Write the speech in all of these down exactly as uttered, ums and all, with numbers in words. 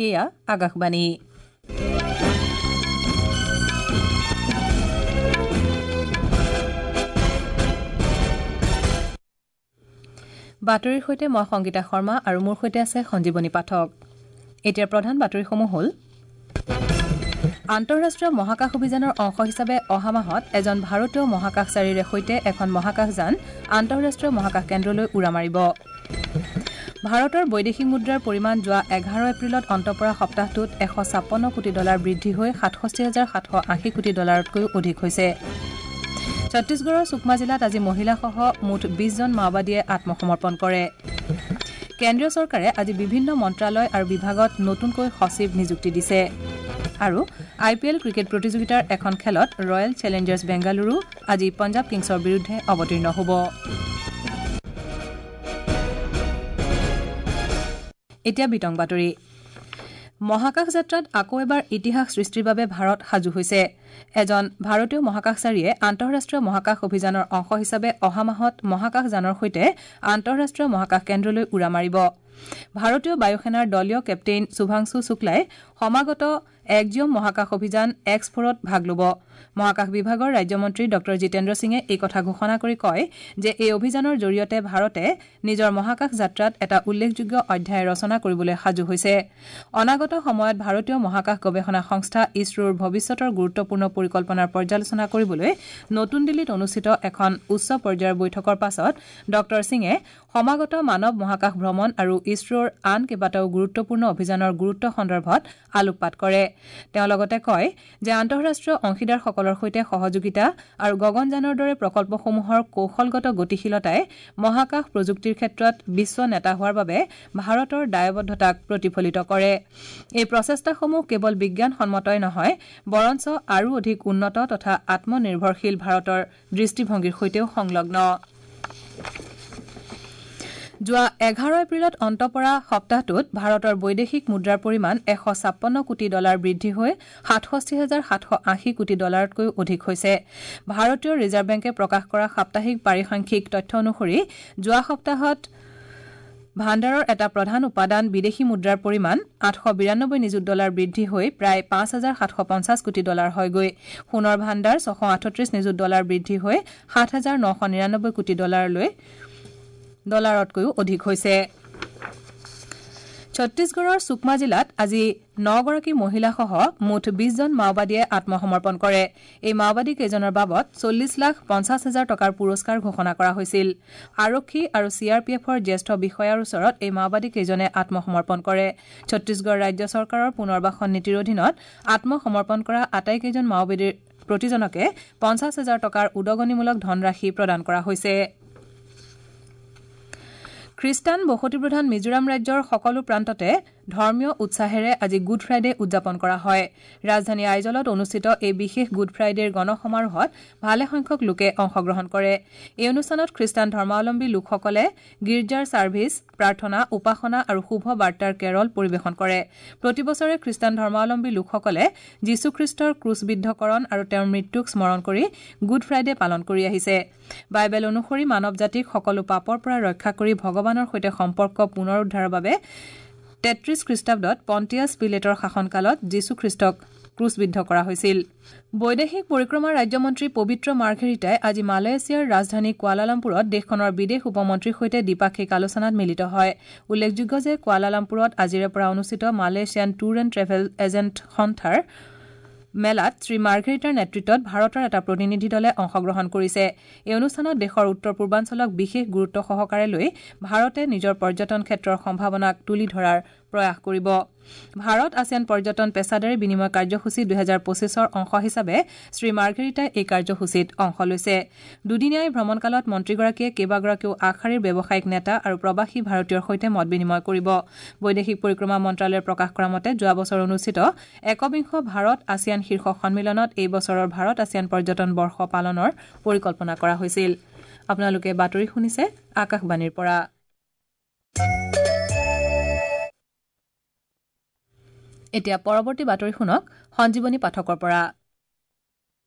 এয়া আকাশবাণী। বাতৰিৰ সৈতে মই সংগীতা শৰ্মা আৰু মোৰ সৈতে আছে সঞ্জীৱনী পাঠক। এতিয়া প্ৰধান বাতৰিসমূহ হ'ল আন্তঃৰাষ্ট্ৰীয় মহাকাশ অভিযানৰ অংশ হিচাপে অহা মাহত এজন ভাৰতীয় মহাকাশচাৰীৰে সৈতে এখন মহাকাশযান আন্তঃৰাষ্ট্ৰীয় মহাকাশ কেন্দ্ৰলৈ উৰা মাৰিব। ভাৰতৰ বৈদেশিক মুদ্ৰাৰ পৰিমাণ যোৱা এঘাৰ এপ্ৰিলত অন্ত পৰা সপ্তাহটোত এশ ছাপন্ন কোটি ডলাৰ বৃদ্ধি হৈ সাতষষ্ঠি হাজাৰ সাতশ আশী কোটি ডলাৰতকৈও অধিক হৈছে। ছত্তীশগড়ৰ সুকমা জিলাত আজি মহিলাসহ মুঠ বিশজন মাওবাদীয়ে আত্মসমৰ্পণ কৰে। কেন্দ্ৰীয় চৰকাৰে আজি বিভিন্ন মন্ত্ৰালয় আৰু বিভাগত নতুনকৈ সচিব নিযুক্তি দিছে। আৰু আই পি এল ক্ৰিকেট প্ৰতিযোগিতাৰ এখন খেলত ৰয়েল চেলেঞ্জাৰ্ছ বেংগালুৰু আজি পঞ্জাৱ কিংছৰ বিৰুদ্ধে অৱতীৰ্ণ হ'ব। এতিয়া বিতং বাতৰি। মহাকাশ যাত্ৰাত আকৌ এবাৰ ইতিহাস সৃষ্টিৰ বাবে ভাৰত সাজু হৈছে। এজন ভাৰতীয় মহাকাশচাৰীয়ে আন্তঃৰাষ্ট্ৰীয় মহাকাশ অভিযানৰ অংশ হিচাপে অহা মাহত মহাকাশযানৰ সৈতে আন্তঃৰাষ্ট্ৰীয় মহাকাশ কেন্দ্ৰলৈ উৰা মাৰিব। ভাৰতীয় বায়ুসেনাৰ দলীয় কেপ্টেইন শুভাংশু শুক্লাই সমাগত এক্সিঅম মহাকাশ অভিযান এক্স ফ'ৰত ভাগ ল'ব। মহাকাশ বিভাগৰ ৰাজ্যমন্ত্ৰী ডঃ জিতেন্দ্ৰ সিঙে এই কথা ঘোষণা কৰি কয় যে এই অভিযানৰ জৰিয়তে ভাৰতে নিজৰ মহাকাশ যাত্ৰাত এটা উল্লেখযোগ্য অধ্যায় ৰচনা কৰিবলৈ সাজু হৈছে। অনাগত সময়ত ভাৰতীয় মহাকাশ গৱেষণা সংস্থা ইছৰোৰ ভৱিষ্যতৰ গুৰুত্বপূৰ্ণ পৰিকল্পনাৰ পৰ্যালোচনা কৰিবলৈ নতুন দিল্লীত অনুষ্ঠিত এখন উচ্চ পৰ্যায়ৰ বৈঠকৰ পাছত ডঃ সিঙে সমাগত মানৱ মহাকাশ ভ্ৰমণ আৰু ইছৰোৰ আন কেইবাটাও গুৰুত্বপূৰ্ণ অভিযানৰ গুৰুত্ব সন্দৰ্ভত আলোকপাত কৰে। তেওঁ লগতে কয় যে আন্তঃৰাষ্ট্ৰীয় অংশীদাৰসকলৰ সৈতে সহযোগিতা আৰু গগনযানৰ দৰে প্ৰকল্পসমূহৰ কৌশলগত গতিশীলতাই মহাকাশ প্ৰযুক্তিৰ ক্ষেত্ৰত বিশ্ব নেতা হোৱাৰ বাবে ভাৰতৰ দায়বদ্ধতাক প্ৰতিফলিত কৰে। এই প্ৰচেষ্টাসমূহ কেৱল বিজ্ঞানসন্মতই নহয়, বৰঞ্চ আৰু অধিক উন্নত তথা আত্মনিৰ্ভৰশীল ভাৰতৰ দৃষ্টিভংগীৰ সৈতেও সংলগ্ন। যোৱা এঘাৰ এপ্ৰিলত অন্ত পৰা সপ্তাহটোত ভাৰতৰ বৈদেশিক মুদ্ৰাৰ পৰিমাণ এশ ছাপন্ন কোটি ডলাৰ বৃদ্ধি হৈ সাতষষ্ঠি হাজাৰ সাতশ আশী কোটি ডলাৰতকৈও অধিক হৈছে। ভাৰতীয় ৰিজাৰ্ভ বেংকে প্ৰকাশ কৰা সাপ্তাহিক পাৰিসাংখ্যিক তথ্য অনুসৰি যোৱা সপ্তাহত ভাণ্ডাৰৰ এটা প্ৰধান উপাদান বিদেশী মুদ্ৰাৰ পৰিমাণ আঠশ বিৰানব্বৈ নিযুত ডলাৰ বৃদ্ধি হৈ প্ৰায় পাঁচ হাজাৰ সাতশ পঞ্চাছ কোটি ডলাৰ হয়গৈ। সোণৰ ভাণ্ডাৰ ছশ আঠত্ৰিশ নিযুত ডলাৰ বৃদ্ধি হৈ সাত হাজাৰ নশ নিৰানব্বৈ কোটি ডলাৰলৈ ডলাৰতকৈও অধিক হৈছে। ছত্তীশগড়ৰ সুকমা জিলাত আজি নগৰাকী মহিলাসহ মুঠ বিশজন মাওবাদীয়ে আত্মসমৰ্পণ কৰে। এই মাওবাদী কেইজনৰ বাবদ চল্লিছ লাখ পঞ্চাছ হাজাৰ টকাৰ পুৰস্কাৰ ঘোষণা কৰা হৈছিল। আৰক্ষী আৰু চি আৰ পি এফৰ জ্যেষ্ঠ বিষয়াৰ ওচৰত এই মাওবাদী কেইজনে আত্মসমৰ্পণ কৰে। ছত্তীশগড় ৰাজ্য চৰকাৰৰ পুনৰ্বাসন নীতিৰ অধীনত আত্মসমৰ্পণ কৰা আটাইকেইজন মাওবাদীৰ প্ৰতিজনকে পঞ্চাছ হাজাৰ টকাৰ উদগনিমূলক ধনৰাশি প্ৰদান কৰা হৈছে। খ্ৰীষ্টান বসতিপ্ৰধান মিজোৰাম ৰাজ্যৰ সকলো প্ৰান্ততে ধৰ্মীয় উৎসাহেৰে আজি গুড ফ্ৰাইডে উদযাপন কৰা হয়। ৰাজধানী আইজলত অনুষ্ঠিত এই বিশেষ গুড ফ্ৰাইডেৰ গণসমাৰোহত ভালেসংখ্যক লোকে অংশগ্ৰহণ কৰে। এই অনুষ্ঠানত খ্ৰীষ্টান ধৰ্মাৱলম্বী লোকসকলে গীৰ্জাৰ ছাৰ্ভিচ, প্ৰাৰ্থনা, উপাসনা আৰু শুভ বাৰ্তাৰ কেৰল পৰিৱেশন কৰে। প্ৰতি বছৰে খ্ৰীষ্টান ধৰ্মাৱলম্বী লোকসকলে যীশুখ্ৰীষ্টৰ ক্ৰুচবিদ্ধকৰণ আৰু তেওঁৰ মৃত্যুক স্মৰণ কৰি গুড ফ্ৰাইডে পালন কৰি আহিছে। বাইবেল অনুসৰি মানৱ জাতিক সকলো পাপৰ পৰা ৰক্ষা কৰি ভগৱানৰ সৈতে সম্পৰ্ক পুনৰুদ্ধাৰৰ বাবে তেত্ৰিশ খ্ৰীষ্টাব্দত পণ্টিয়াছ পিলেটৰ শাসনকালত যীশুখ্ৰীষ্টক ক্ৰুচবিদ্ধ কৰা হৈছিল। বৈদেশিক পৰিক্ৰমা ৰাজ্যমন্ত্ৰী পবিত্ৰ মাৰ্ঘেৰিটাই আজি মালয়েছিয়াৰ ৰাজধানী কুৱালালামপুৰত দেশখনৰ বিদেশ উপমন্ত্ৰীৰ সৈতে দ্বিপাক্ষিক আলোচনাত মিলিত হয়। উল্লেখযোগ্য যে কুৱালালামপুৰত আজিৰে পৰা অনুষ্ঠিত Malaysian tour and travel agent সন্থাৰ মেলাত শ্ৰী মাৰ্ঘেৰিটাৰ নেতৃত্বত ভাৰতৰ এটা প্ৰতিনিধি দলে অংশগ্ৰহণ কৰিছে। এই অনুষ্ঠানত দেশৰ উত্তৰ পূৰ্বাঞ্চলক বিশেষ গুৰুত্ব সহকাৰে লৈ ভাৰতে নিজৰ পৰ্যটন ক্ষেত্ৰৰ সম্ভাৱনাক তুলি ধৰাৰ প্ৰয়াস কৰিব। ভাৰত আছিয়ান পৰ্যটন পেছাদাৰী বিনিময় কাৰ্যসূচী দুহেজাৰ পঁচিছৰ অংশ হিচাপে শ্ৰী মাৰ্ঘেৰিটাই এই কাৰ্যসূচীত অংশ লৈছে। দুদিনীয়া এই ভ্ৰমণকালত মন্ত্ৰীগৰাকীয়ে কেইবাগৰাকীও আগশাৰীৰ ব্যৱসায়িক নেতা আৰু প্ৰৱাসী ভাৰতীয়ৰ সৈতে মত বিনিময় কৰিব। বৈদেশিক পৰিক্ৰমা মন্ত্ৰালয়ে প্ৰকাশ কৰা মতে যোৱা বছৰ অনুষ্ঠিত একবিংশ ভাৰত আছিয়ান শীৰ্ষ সন্মিলনত এই বছৰৰ ভাৰত আছিয়ান পৰ্যটন বৰ্ষ পালনৰ পৰিকল্পনা কৰা হৈছিল। আপোনালোকে বাতৰি শুনিছে আকাশবাণীৰ পৰা। এতিয়া পৰৱৰ্তী বাতৰি শুনক সঞ্জীৱনী পাঠকৰ পৰা।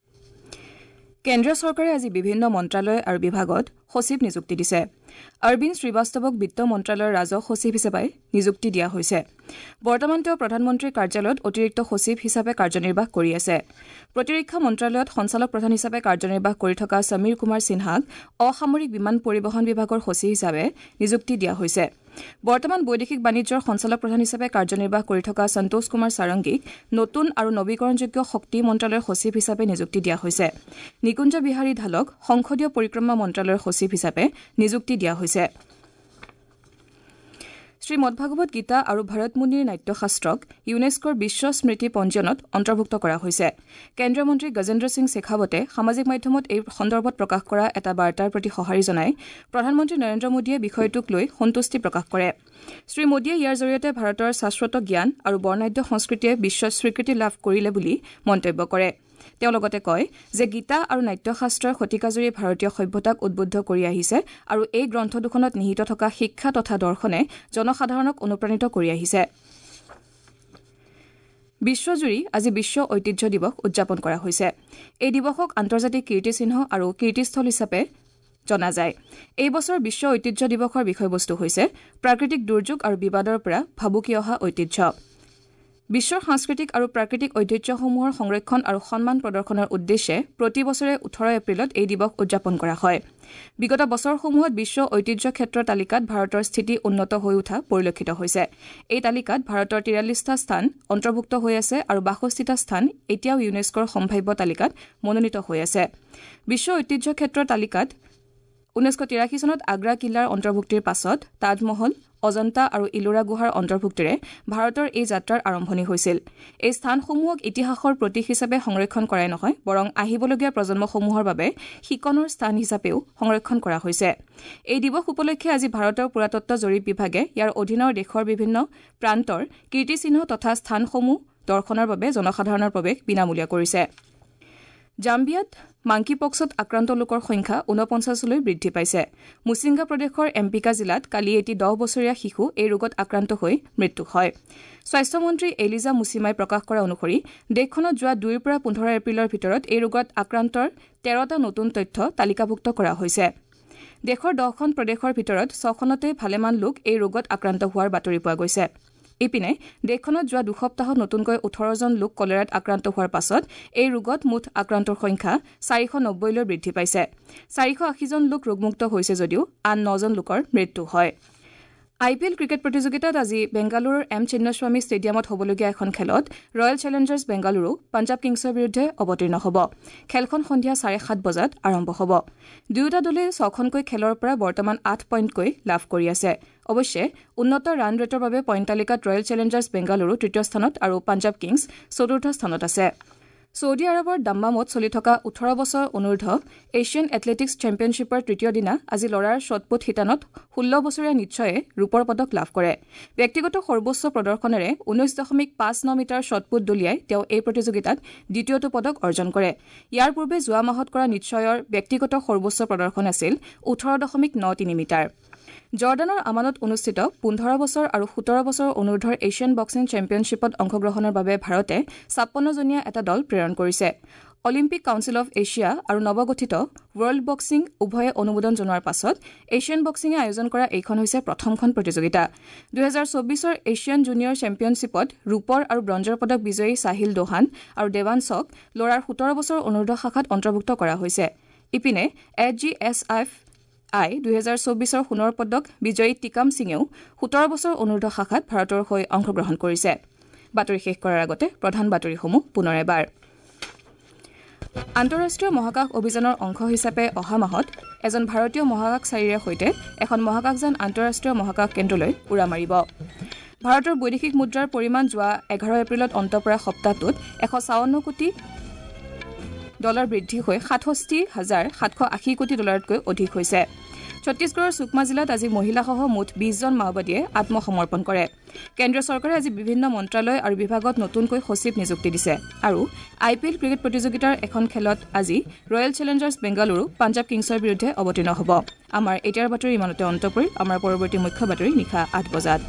কেন্দ্ৰীয় চৰকাৰে আজি বিভিন্ন মন্ত্ৰালয় আৰু বিভাগত সচিব নিযুক্তি দিছে। অৰবিন্দ শ্ৰীবাস্তৱক বিত্ত মন্ত্ৰালয়ৰ ৰাজহ সচিব হিচাপে নিযুক্তি দিয়া হৈছে। বৰ্তমান তেওঁ প্ৰধানমন্ত্ৰীৰ কাৰ্যালয়ত অতিৰিক্ত সচিব হিচাপে কাৰ্যনিৰ্বাহ কৰি আছে। প্ৰতিৰক্ষা মন্ত্ৰালয়ত সঞ্চালক প্ৰধান হিচাপে কাৰ্যনিৰ্বাহ কৰি থকা সমীৰ কুমাৰ সিনহাক অসামৰিক বিমান পৰিবহণ বিভাগৰ সচিব হিচাপে নিযুক্তি দিয়া হৈছে। বৰ্তমান বৈদেশিক বাণিজ্যৰ সঞ্চালক প্ৰধান হিচাপে কাৰ্যনিৰ্বাহ কৰি থকা সন্তোষ কুমাৰ সাৰংগীক নতুন আৰু নবীকৰণযোগ্য শক্তি মন্ত্ৰালয়ৰ সচিব হিচাপে নিযুক্তি দিয়া হৈছে। নিকুঞ্জ বিহাৰী ঢালক সংসদীয় পৰিক্ৰমা মন্ত্ৰালয়ৰ সচিব হিচাপে নিযুক্তি দিয়া হৈছে। শ্ৰীমদ্ভাগৱত গীতা আৰু ভৰত মুনিৰ নাট্যশাস্ত্ৰক ইউনেস্কোৰ বিশ্ব স্মৃতি পঞ্জীয়নত অন্তৰ্ভুক্ত কৰা হৈছে। কেন্দ্ৰীয় মন্ত্ৰী গজেন্দ্ৰ সিং শেখাৱটে সামাজিক মাধ্যমত এই সন্দৰ্ভত প্ৰকাশ কৰা এটা বাৰ্তাৰ প্ৰতি সঁহাৰি জনাই প্ৰধানমন্ত্ৰী নৰেন্দ্ৰ মোদীয়ে বিষয়টোক লৈ সন্তুষ্টি প্ৰকাশ কৰে। শ্ৰী মোদীয়ে ইয়াৰ জৰিয়তে ভাৰতৰ শাশ্বত জ্ঞান আৰু বৰ্ণাঢ্য সংস্কৃতিয়ে বিশ্ব স্বীকৃতি লাভ কৰিলে বুলি মন্তব্য কৰে। তেওঁ লগতে কয় যে গীতা আৰু নাট্যশাস্ত্ৰই শতিকাজুৰি ভাৰতীয় সভ্যতাক উদ্বুদ্ধ কৰি আহিছে আৰু এই গ্ৰন্থ দুখনত নিহিত থকা শিক্ষা তথা দৰ্শনে জনসাধাৰণক অনুপ্ৰাণিত কৰি আহিছে। বিশ্বজুৰি আজি বিশ্ব ঐতিহ্য দিৱস উদযাপন কৰা হৈছে। এই দিৱসক আন্তৰ্জাতিক কীৰ্তিচিহ্ন আৰু কীৰ্তিস্থল হিচাপে জনা যায়। এই বছৰ বিশ্ব ঐতিহ্য দিৱসৰ বিষয়বস্তু হৈছে প্ৰাকৃতিক দুৰ্যোগ আৰু বিবাদৰ পৰা ভাবুকি অহা ঐতিহ্য। বিশ্বৰ সাংস্কৃতিক আৰু প্ৰাকৃতিক ঐতিহ্যসমূহৰ সংৰক্ষণ আৰু সন্মান প্ৰদৰ্শনৰ উদ্দেশ্যে প্ৰতি বছৰে ওঠৰ এপ্ৰিলত এই দিৱস উদযাপন কৰা হয়। বিগত বছৰসমূহত বিশ্ব ঐতিহ্য ক্ষেত্ৰৰ তালিকাত ভাৰতৰ স্থিতি উন্নত হৈ উঠা পৰিলক্ষিত হৈছে। এই তালিকাত ভাৰতৰ তিৰাল্লিছটা স্থান অন্তৰ্ভুক্ত হৈ আছে আৰু বাষষ্ঠিটা স্থান এতিয়াও ইউনেস্কোৰ সম্ভাৱ্য তালিকাত মনোনীত হৈ আছে। বিশ্ব ঐতিহ্য ক্ষেত্ৰৰ তালিকাত ঊনৈছশ তিৰাশী চনত আগ্ৰা কিলাৰ অন্তৰ্ভুক্তিৰ পাছত তাজমহল, অজন্তা আৰু ইলোৰা গুহাৰ অন্তৰ্ভুক্তিৰে ভাৰতৰ এই যাত্ৰাৰ আৰম্ভণি হৈছিল। এই স্থানসমূহক ইতিহাসৰ প্ৰতীক হিচাপে সংৰক্ষণ কৰাই নহয়, বৰং আহিবলগীয়া প্ৰজন্মসমূহৰ বাবে শিকনৰ স্থান হিচাপেও সংৰক্ষণ কৰা হৈছে। এই দিৱস উপলক্ষে আজি ভাৰতৰ পুৰাতত্ব জৰীপ বিভাগে ইয়াৰ অধীনৰ দেশৰ বিভিন্ন প্ৰান্তৰ কীৰ্তিচিহ্ন তথা স্থানসমূহ দৰ্শনৰ বাবে জনসাধাৰণৰ প্ৰৱেশ বিনামূলীয়া কৰিছে। জাম্বিয়াত মাংকিপক্সত আক্ৰান্ত লোকৰ সংখ্যা ঊনপঞ্চাছলৈ বৃদ্ধি পাইছে। মুছিংগা প্ৰদেশৰ এম্পিকা জিলাত কালি এটি দহ বছৰীয়া শিশু এই ৰোগত আক্ৰান্ত হৈ মৃত্যু হয়। স্বাস্থ্যমন্ত্ৰী এলিজা মুছিমাই প্ৰকাশ কৰা অনুসৰি দেশখনত যোৱা দুইৰ পৰা পোন্ধৰ এপ্ৰিলৰ ভিতৰত এই ৰোগত আক্ৰান্তৰ তেৰটা নতুন তথ্য তালিকাভুক্ত কৰা হৈছে। দেশৰ দহখন প্ৰদেশৰ ভিতৰত ছখনতে ভালেমান লোক এই ৰোগত আক্ৰান্ত হোৱাৰ বাতৰি পোৱা গৈছে। ইপিনে দেশখনত যোৱা দুসপ্তাহত নতুনকৈ ওঠৰজন লোক কলেৰাত আক্ৰান্ত হোৱাৰ পাছত এই ৰোগত মুঠ আক্ৰান্তৰ সংখ্যা চাৰিশ নব্বৈলৈ বৃদ্ধি পাইছে। চাৰিশ আশীজন লোক ৰোগমুক্ত হৈছে যদিও আন নজন লোকৰ মৃত্যু হয়। আই পি এল ক্ৰিকেট প্ৰতিযোগিতাত আজি বেংগালুৰুৰ এম চিন্নাস্বামী ষ্টেডিয়ামত হ'বলগীয়া এখন খেলত ৰয়েল চেলেঞ্জাৰ্ছ বেংগালুৰু পাঞ্জাৱ কিংছৰ বিৰুদ্ধে অৱতীৰ্ণ হ'ব। খেলখন সন্ধিয়া চাৰে সাত বজাত আৰম্ভ হ'ব। দুয়োটা দলে ছখনকৈ খেলৰ পৰা বৰ্তমান আঠ পইণ্টকৈ লাভ কৰি আছে। অৱশ্যে উন্নত ৰান ৰেটৰ বাবে পইণ্ট তালিকাত ৰয়েল চেলেঞ্জাৰ্ছ বেংগালুৰু তৃতীয় স্থানত আৰু পাঞ্জাৱ কিংছ চতুৰ্থ স্থানত আছে। ছৌদি আৰৱৰ দাম্মামত চলি থকা ওঠৰ বছৰ অনুৰ্ধ এছিয়ান এথলেটিকছ চেম্পিয়নশ্বিপৰ তৃতীয় দিনা আজি ল'ৰাৰ শ্বটপুট শিতানত ষোল্ল বছৰীয়া নিশ্চয়ে ৰূপৰ পদক লাভ কৰে। ব্যক্তিগত সৰ্বোচ্চ প্ৰদৰ্শনেৰে ঊনৈশ দশমিক পাঁচ ন মিটাৰ শ্বটপুট দলিয়াই তেওঁ এই প্ৰতিযোগিতাত দ্বিতীয়টো পদক অৰ্জন কৰে। ইয়াৰ পূৰ্বে যোৱা মাহত কৰা নিশ্চয়ৰ ব্যক্তিগত সৰ্বোচ্চ প্ৰদৰ্শন আছিল ওঠৰ দশমিক ন তিনি মিটাৰ। জৰ্ডানৰ আমানত অনুষ্ঠিত পোন্ধৰ বছৰ আৰু সোতৰ বছৰ অনুৰ্ধৰ এছিয়ান বক্সিং চেম্পিয়নশ্বিপত অংশগ্ৰহণৰ বাবে ভাৰতে ছাপন্নজনীয়া এটা দল প্ৰেৰণ কৰিছে। অলিম্পিক কাউন্সিল অৱ এছিয়া আৰু নৱগঠিত ৱৰ্ল্ড বক্সিং উভয়ে অনুমোদন জনোৱাৰ পাছত এছিয়ান বক্সিঙে আয়োজন কৰা এইখন হৈছে প্ৰথমখন প্ৰতিযোগিতা। দুহেজাৰ চৌবিছৰ এছিয়ান জুনিয়ৰ চেম্পিয়নশ্বিপত ৰূপৰ আৰু ব্ৰঞ্জৰ পদক বিজয়ী চাহিল দোহান আৰু দেৱানছক ল'ৰাৰ সোতৰ বছৰ অনুৰ্ধ শাখাত অন্তৰ্ভুক্ত কৰা হৈছে। ইপিনে এ জি এছ এফ আই দুহেজাৰ চৌবিছৰ সোণৰ পদক বিজয়ী টিকাম সিঙেও সোতৰ বছৰ অনুৰ্ধ শাখাত ভাৰতৰ হৈ অংশগ্ৰহণ কৰিছে। বাতৰি শেষ কৰাৰ আগতে প্ৰধান বাতৰিসমূহ পুনৰ এবাৰ। আন্তঃৰাষ্ট্ৰীয় মহাকাশ অভিযানৰ অংশ হিচাপে অহা মাহত এজন ভাৰতীয় মহাকাশচাৰীৰে সৈতে এখন মহাকাশযান আন্তঃৰাষ্ট্ৰীয় মহাকাশ কেন্দ্ৰলৈ উৰা মাৰিব। ভাৰতৰ বৈদেশিক মুদ্ৰাৰ পৰিমাণ যোৱা এঘাৰ এপ্ৰিলত অন্ত পৰা সপ্তাহটোত এশ ছাৱন্ন কোটি ডলাৰ বৃদ্ধি হৈ সাতষষ্ঠি হাজাৰ সাতশ আশী কোটি ডলাৰতকৈ অধিক হৈছে। ছত্তীশগড়ৰ সুকমা জিলাত আজি মহিলাসহ মুঠ বিশজন মাওবাদীয়ে আত্মসমৰ্পণ কৰে। কেন্দ্ৰীয় চৰকাৰে আজি বিভিন্ন মন্ত্ৰালয় আৰু বিভাগত নতুনকৈ সচিব নিযুক্তি দিছে। আৰু আই পি এল ক্ৰিকেট প্ৰতিযোগিতাৰ এখন খেলত আজি ৰয়েল চেলেঞ্জাৰ্ছ বেংগালুৰু পাঞ্জাৱ কিংছৰ বিৰুদ্ধে অৱতীৰ্ণ হ'ব। আমাৰ এতিয়াৰ বাতৰি ইমানতে অন্ত পৰিল। আমাৰ পৰৱৰ্তী মুখ্য বাতৰি নিশা আঠ বজাত।